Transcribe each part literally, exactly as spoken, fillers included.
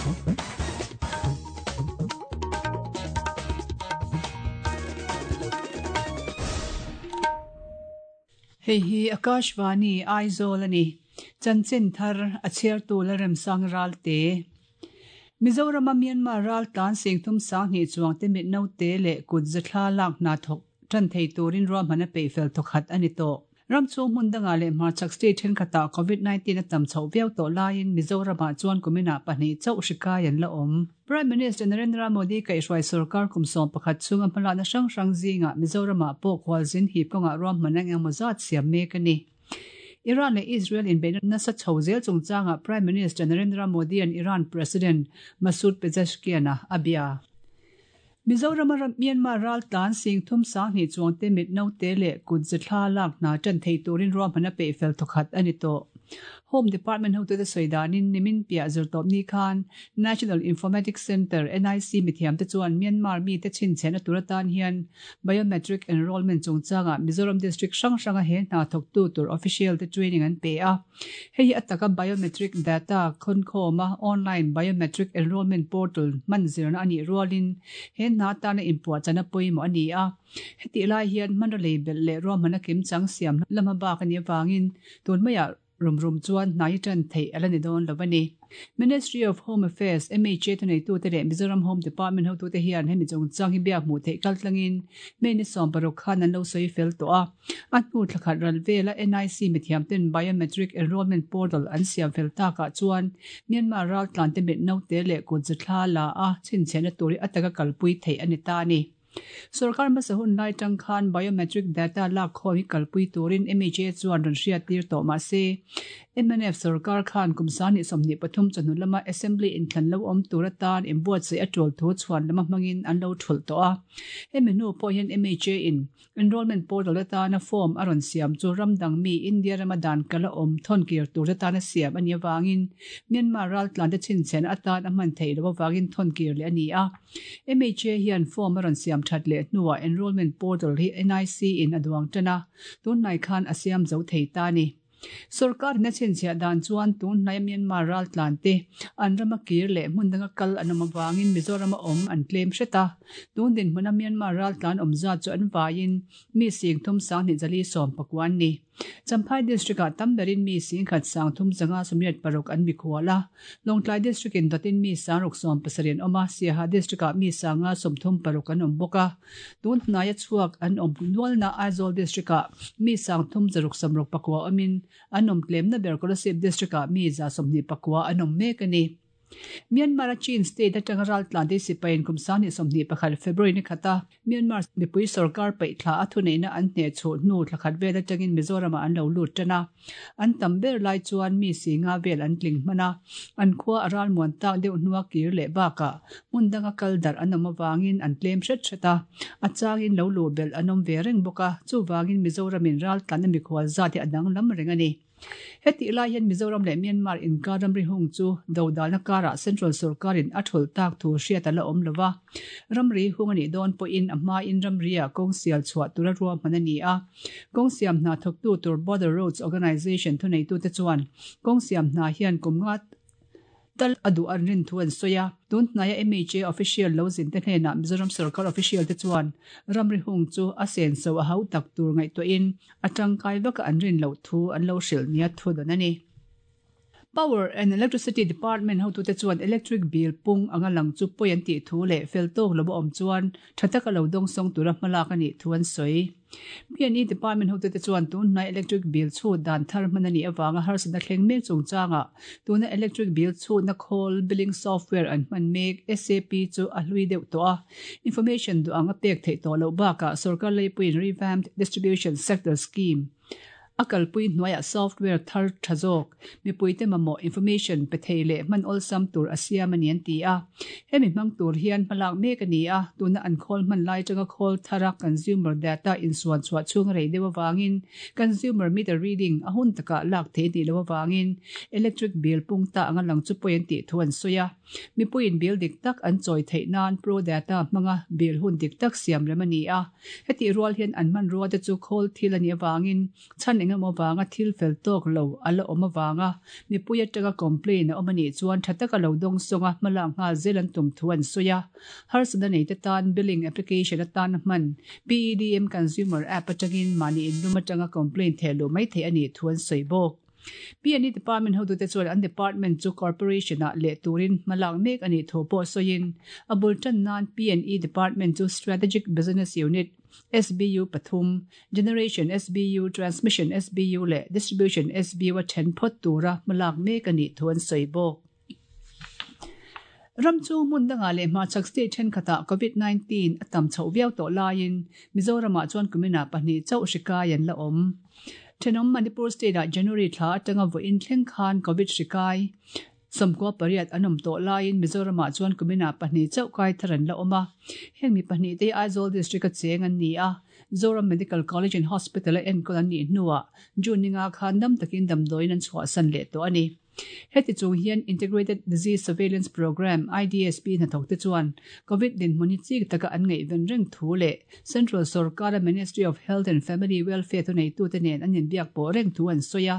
Hei hi Akashvani Aizawl ani. Chanchin thar a chhiartu Lalremsang Ralte. Mizoram a Myanmar ral tlan sing thum sang hnih chuang te mit naute leh kut zathla lak hna thawk tan thei turin ruahman a peih fel thawkhat a ni tawh. Ram chhung hmun dangah leh hmarchhak state thenkhatah COVID nineteen a tam chhoh viau tawh laiin Mizoramah chuan kuminah pahnih chauh hri kai an la awm. Prime Minister Narendra Modi kaihhruai sarkar kum sawm pakhat chhunga hmalakna hrang hrang zingah Mizoramah pawh khualzin hip kawngah ruahman ang engemaw zat siam mek a ni. Iran leh Israel inbeihna nasa chho zel chungchangah Prime Minister Narendra Modi an Iran President Masoud Pezeshkian a a bia. Mizoram a Myanmar ral tlan sing thum sang hnih chuang te mit naute leh kut zathla lak hna tan thei turin ruahman a peih fel thawkhat a ni tawh. Home Department hotute sawidanin nimin piah zirtawp ni khan National Informatics Centre N I C mithiam te chuan Myanmar mi te chhinchhen a tur atan hian biometric enrollment chungchangah Mizoram district hrang hranga he hna thawktu tur official te training an pe a. Hei hi a taka biometric data khawnkhawma online biometric enrollment portal hman zirna a nih rualin he hna tana inpuah chana pawimawh a ni a. Heti lai hian hmanra lei belh leh ruahman a kim chang siam lama bak a nih avangin tun maiah rum rum chuan hnai tan thei ala ni dawn lo ani. Ministry of Home Affairs M H A thuneitu te leh Mizoram Home Department hotu te hian hemi chungchang hi biak hmuh theih kal tlangin May ni sawm paruk khan an lo sawi fel tawh a. A hnu thlakhat ral vela N I C mithiam ten biometric enrollment portal an siam fel takah chuan Myanmar ral tlan te mit naute leh kut zathla la a chhinchhen a turi ataka kalpui theih ani ta ani. Sarkar hmasa hun lai tang khan biometric data lak khaw hi kalpui turin M H A chuan rawn hriat tir tawh mah se M N F sarkar khan kumsani sawmhnih pathum chawhnu lama assembly inthlan lo awm tur atan inbuatsaih a tul thu chhuan lama hmangin an lo thulh tawh a. Hemi hnu pawh hian M H A in enrollment portal atana form a rawn siam chu ramdang mi India rama dan kala awm thawn kir tur atana siam a ni awangin Myanmar ral tlan te chhinchhen atan a hman theih lo awangin thawn kir leh a ni a. M H A hian form a rawn siam that leh hnuah enrollment portal hi N I C in a duang tana tun hnai khan a siam zo thei ta ni. Sarkar in a chhinchhiah dan chuan tun hnai Myanmar ral tlan te an rama kir leh hmun danga kal an awm awangin Mizoram a awm an tlem hret a. Tun din hmuna Myanmar ral tlan awm zat chu an vaiin mi sing thum sang hnih zali sawm pakuan ni. Champhai district ah tamberin mi sing khat sang thum zanga sawmriat paruk an mikhual a. Lawngtlai district in dotin mi sang ruk sawm pasarih an awm a. Siaha district ah mi sanga sawmthum paruk an awm bawk a. Tun hnai a chhuak an awm nualna Aizawl district ah mi sang thum zaruk sawmruk pakua awmin an awm tlemna ber Kolasib district ah mi za sawmhnih pakua an awm mek a ni. Myanmar a Chin state atanga ral tlan te sipain kumsani sawmhnih pakhat February ni khata Myanmar mipui sarkar paih thla a thuneihna an hne chhuh hnu thlakhat vel atangin Mizoram ah an lo lut tan a. An tam ber lai chuan mi singa vel an tling hman a. An khua a ral muan tak deuh hnua kir leh bakah hmun danga kal darh an awm awangin an tlem hret hret a. A changin lo lu belh an awm ve reng bawk a. Chuwangin Mizoramin ral tlan a mikhual zat hi a dang lam reng a ni. Heti lai hian Mizoram leh Myanmar inkar ramri hung chu dodalna karah Central Sarkarin a thul tak thu hriat a la awm lova. Ramri hung ani dawn pawhin a hmain ramri ah kawng sial chhuah tura ruahman a ni a. Kawng siam hna thawktu tur Border Roads Organisation thuneitu te chuan kawng siam hna hian kum nga tal a duh an rin thu an sawi a. Tun hnaia M H A official lo zin te hnenah Mizoram Sarkar official te chuan ramri hung chu a sen so a hau tak tur ngaihtuahin a tangkai vaka an rin loh thu an lo hrilh nia thu dawn a ni. Power and Electricity Department hotu te chuan electric bill pung anga lang chu pawi an tih thu leh fel tawk lo awm chuan tha taka lo dawng sawng tura hmalak a nih thu an sawi. P and E Department hotu te chuan tun hnai electric bill chu dan thar hman a nih awanga harsatna thleng mek chungchangah tuna electric bill chu na khawl billing software an hman mek S A P chu a hlui deuh tawh a. Information duh anga pek theih tawh loh bakah sarkar leipuiin revamped distribution sector scheme a kalpui hnuaiah software thar tha zawk mipui te mamawh information pe thei leh hman awlsam tur a siam a ni an ti a. Hemi hmang tur hian hmalak mek a ni a. Tuna an khawl hman lai tanga khawl thara consumer data insuan chhuah chhung rei deuh awangin consumer meter reading a hun takah lak thei ni lo awangin electric bill pung ta anga lang chu pawi an tih thu an sawi a. Mipuiin bill dik tak an chawi theih nan pro data hmanga bill hun dik tak siam rem a ni a. Heti rual hian an hman rua te chu khawl thil a ni awangin chan engemaw vanga thil fel tawk lo a la awm avanga mipui atanga complaint a awm a nih chuan tha taka lo dawng sawnga hmalak nghal zel an tum thu an sawi a. Harsatna neite tan billing application atana hman P E D M Consumer App atangin mahni inlum atanga complaint thehluh mai theih a nih thu an sawi bawk. P and E Department hotute chuan an department chu corporation ah leh turin hmalak mek a nih thu pawh sawiin a bul tan nan P and E Department chu Strategic Business Unit S B U pathum, Generation S B U, Transmission S B U leh Distribution S B U a then phawt tura hmalak mek a nih thu an sawi bawk. Ram chu hmun dangah leh hmachak state thenkhatah COVID nineteen a tam chhoh viau tawh laiin Mizoramah chuan kuminah pahnih chauh hri kai an la awm. Thenawm Manipur state ah January thla atanga vawiin thleng khan COVID hri kai sawmkua pariat an awm tawh laiin Mizoramah chuan kuminah pahnih chauh kai thar an la awm a. Heng mi pahnih te Aizawl district a cheng an ni a. Zoram Medical College and Hospital a enkawl an nih hnuah June ninga khan dam takin damdawiin an chhuahsan leh tawh a ni. Heti chung hian Integrated Disease Surveillance Program I D S P hnathawk te chuan COVID dinhmun hi chik taka an ngaihven reng thu leh Central Sarkara Ministry of Health and Family Welfare thuneitute nen an inbiak pawh reng thu an sawi a.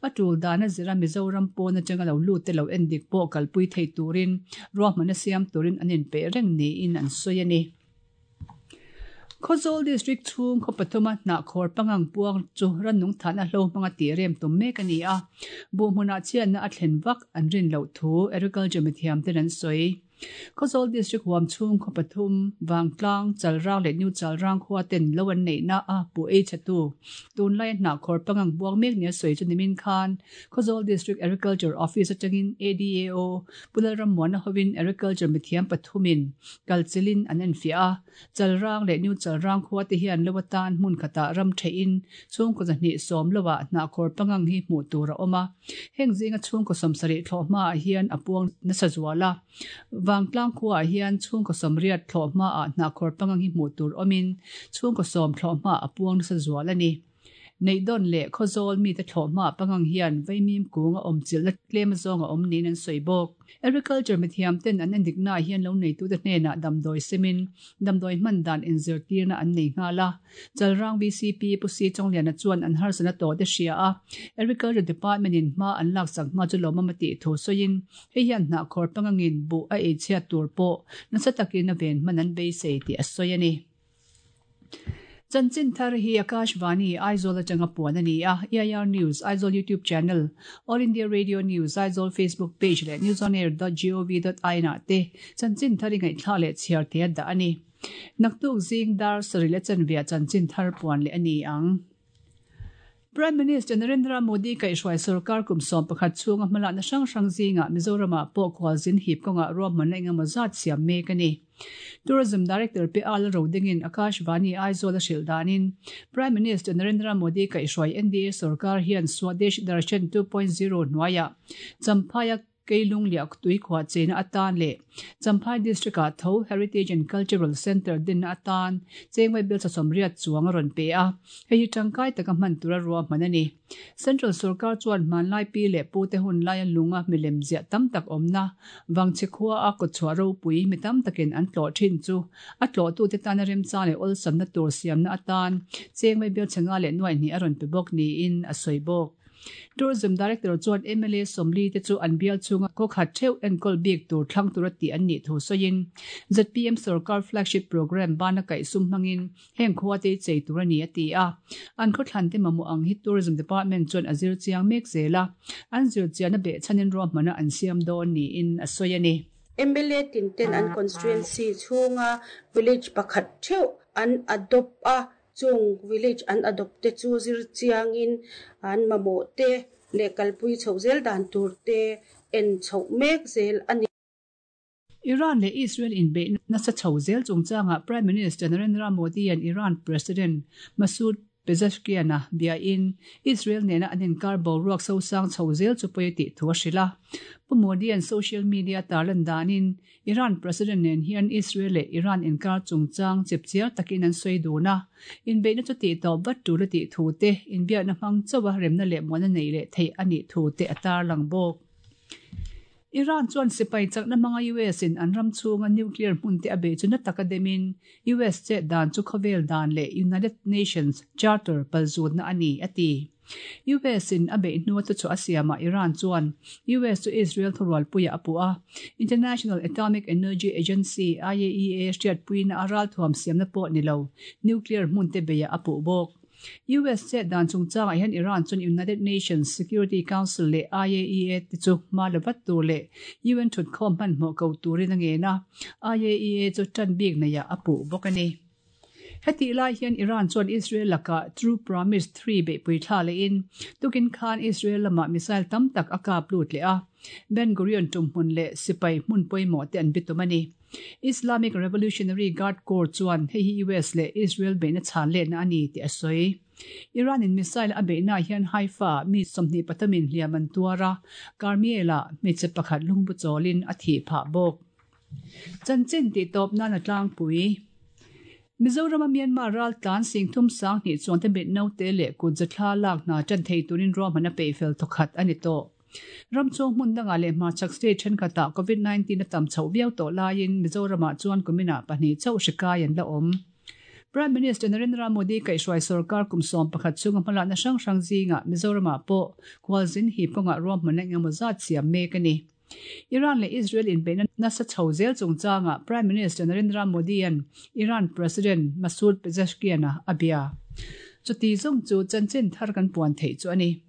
A tul dan a zira Mizoram pawn atanga lo lut te lo endik pawh kalpui thei turin ruahman a siam turin an inpeih reng niin an sawi a ni. Khawzawl District chhung khaw pathuma hnahkhawr pangang puang chu rannung than a hlo hmanga tih rem tum mek a ni a. Buhhmunah chhiatna a thlen vak an rin loh thu Agriculture mithiam ten an sawi. Khawzawl District huam chhung khaw pathum, Vangtlang, Chalrang leh New Chalrang khua ten lo an neihna a pu ei chatu. Tunlai a hnahkhawr pangang buang mek ni a sawi chu nimin khan Khawzawl District Agriculture Office atangin A D A O Pulalram Muana hovin Agriculture mithiam pathumin kalchilin an enfiah a. Chalrang leh New Chalrang khua te hian lo atan hmun khatah ram theihin chhungkaw zahnih sawm loah hnahkhawr pangang hi hmuh tur a awm a. Heng zinga chhungkaw sawmsarih thlawh hmaah hian a puang nasa zual a. Vangtlang khuaah hian chhungkaw sawmriat thlawh hmaah hnahkhawr pangang hi hmuh tur awmin chhungkaw sawm thlawh hmaah a puang nasa zual a ni. Neihdawn leh Khawzawl mite thlawh hmaah pangang hian vaimim kung a awm chilhna tlem zawng a awm niin an sawi bawk. Agriculture mithiam ten an endiknaah hian lo neitute hnenah damdawi semin damdawi hman dan inzirtirna an nei nghal a. Chalrang V C P Pu Si Chawngliana chuan an harsatna tawh te hria a. Agriculture Department in hma an lak sak hma chu lawmawm a tih thu sawiin hei hian hnahkhawr pangangin buh a ei chhiat tur pawh nasa takin a ven hman an beisei tih a sawi a ni. Chanchin thar hi Akashvani Aizawl atanga puan a ni a. E I R News Aizawl YouTube channel, All India Radio News Aizawl Facebook page leh newsonair dot gov dot in ah te chanchin thar i ngaihthla leh chhiar te a dah a ni. Naktuk zing dar sarih leh chanvia chanchin thar puan leh a ni ang. Prime Minister Narendra Modi kaihhruai sarkar kum sawm pakhat chhunga hmalakna hrang hrang zingah Mizoramah pawh khualzin hip kawngah ruahmanna engemaw zat siam mek a ni. Tourism Director P Al Rodingin Akashvani Aizawl a hrilh danin Prime Minister Narendra Modi kaihhruai N D A sarkar hian Swadesh Darshan two point zero hnuaiah Champhai Keilung liak tui khuah chena atan leh Champhai District ah tho Heritage and Cultural Center dinna atan chengwai bel sawmriat chuang a rawn pe a. Hei hi tangkai taka hman tura ruahman a ni. Central Sarkar chuan hmanlai pi leh pu te hun lai a lunga milem ziah tam tak awmna wangchhe khua a kawtchhuah ropui mi tam takin an tlawh thin chu a tlawhtu te tan a remchang leh awlsamna tur siamna atan chengwai bel changa leh nuai hnih a rawn pe bawk niin a sawi bawk. Tourism Director chuan M L A Sawmli te chu an bial chunga khaw khat theuh enkawl bik tur thlang tura tih an nih thu sawiin Z P M Sarkar flagship program bana kaih sum hmangin heng khua te chei tur a ni a ti a. An khaw thlan te mamawh ang hi Tourism Department chuan a zir chiang mek zel a. An zir chian a beh chhanin ruahmana an siam dawn niin a sawi a ni. M L A tin ten an constituency chhunga village pakhat theuh an adopt a. Chung village an adopt te chu zir chiangin an mamawh te leh kalpui chhoh zel dan tur te en chhoh mek zel a ni. Iran leh Israel inbeih nasa chho zel chungchangah Prime Minister Narendra Modi an Iran President Masoud Pezeshkian a biain Israel nena an inkar boruak sosang chho zel chu pawi tih thu a hrilh a. Pu Modi an social media tarlan danin Iran President nen hian Israel leh Iran inkar chungchang chipchiar takin an sawi dun a. Inbeihna chu tih tawp vat tul a tih thu te inbiakna hmang chauha remna leh muana nei leh theih a nih thu te a tarlang bawk. Iran chuan sipai chakna hmanga U S in an ram chhunga nuclear hmun te a bei chu na taka demin U S che dan chu khawvel dan leh United Nations Charter palzutna a ni a ti. U S in a beih hnu te chu a siamah Iran chuan U S chu Israel thurualpuia a puh a. International Atomic Energy Agency I A E A hriatpuina a ralthuam siamna pawh ni lo nuclear hmun te beia a puh bawk. U S chet dan chungchangah hian Iran chuan United Nations Security Council leh I A E A te chu hma la vat tur leh U N thutkhawm hmanhmawh ko turin a ngen a. I A E A chu tan bik neiah a puh bawk a ni. Heti lai hian Iran chuan Israel laka True Promise three beihpui thla lehin tukin khan Israel lama missile tam tak a kap lut leh a. Ben Gurion tumhmun leh sipai hmun pawimawh te an bitum a ni. Islamic Revolutionary Guard Corps chuan hei hi U S leh Israel beihna chhan letna a ni tih a sawi. Iran in missile a beihna hian Haifa mi sawmhnih pathumin hliam an tuar a, Carmiel-ah hmeichhe pakhat lungbu chawlin a thih phah bawk. Chanchin tih tawp nan a tlangpui. Mizorama Myanmar raltlan singthum sanghnih chuan te mit naute leh kut zathla lak hna tan thei turin ruahman a peihfel thawkhat a ni tawh. Ram chhung hmun dangah leh hmarchhak state thenkhatah COVID nineteen a tam chhoh viau tawh laiin Mizoramah chuan kuminah pahnih chauh hri kai an la awm. Prime Minister Narendra Modi kaihhruai sarkar kum sawm pakhat chunga hmalakna hrang hrang zingah Mizoramah pawh khualzin hip kawngah ruahman engemaw zat siam mek a ni. Iran leh Israel inbeihna nasa chho zel chungchangah Prime Minister Narendra Modi an Iran President Masoud Pezeshkian a bia. Chuti zawng chu chanchin thar kan puan theih chu a ni.